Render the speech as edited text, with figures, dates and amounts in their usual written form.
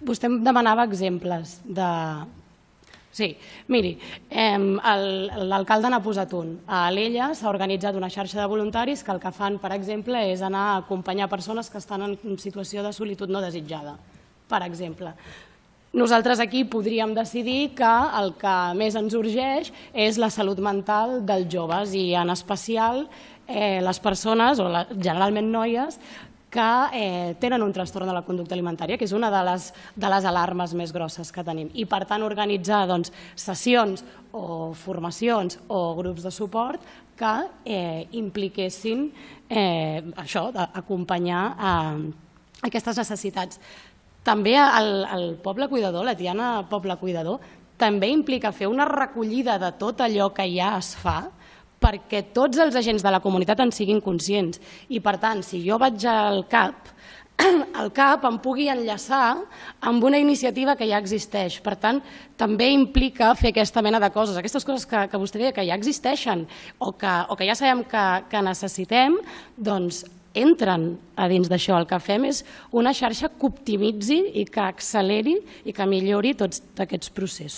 Vostè em demanava exemples de... Sí, miri, l'alcalde n'ha posat un. A Alella s'ha organitzat una xarxa de voluntaris que el que fan, per exemple, és anar a acompanyar persones que estan en situació de solitud no desitjada, per exemple. Nosaltres aquí podríem decidir que el que més ens urgeix és la salut mental dels joves i en especial les persones, o generalment noies, que tenen un trastorn de la conducta alimentària, que és una de les alarmes més grosses que tenim. I per tant organitzar sessions o formacions o grups de suport que impliquessin això, d'acompanyar aquestes necessitats. També el Poble Cuidador, la Tiana Poble Cuidador, també implica fer una recollida de tot allò que ja es fa perquè tots els agents de la comunitat en siguin conscients. I per tant, si jo vaig al CAP, el CAP em pugui enllaçar amb una iniciativa que ja existeix. Per tant, també implica fer aquesta mena de coses. Aquestes coses que vostè deia que ja existeixen o que ja sabem que necessitem, doncs entren a dins d'això. El que fem és una xarxa que optimitzi i que acceleri i que millori tots aquests processos.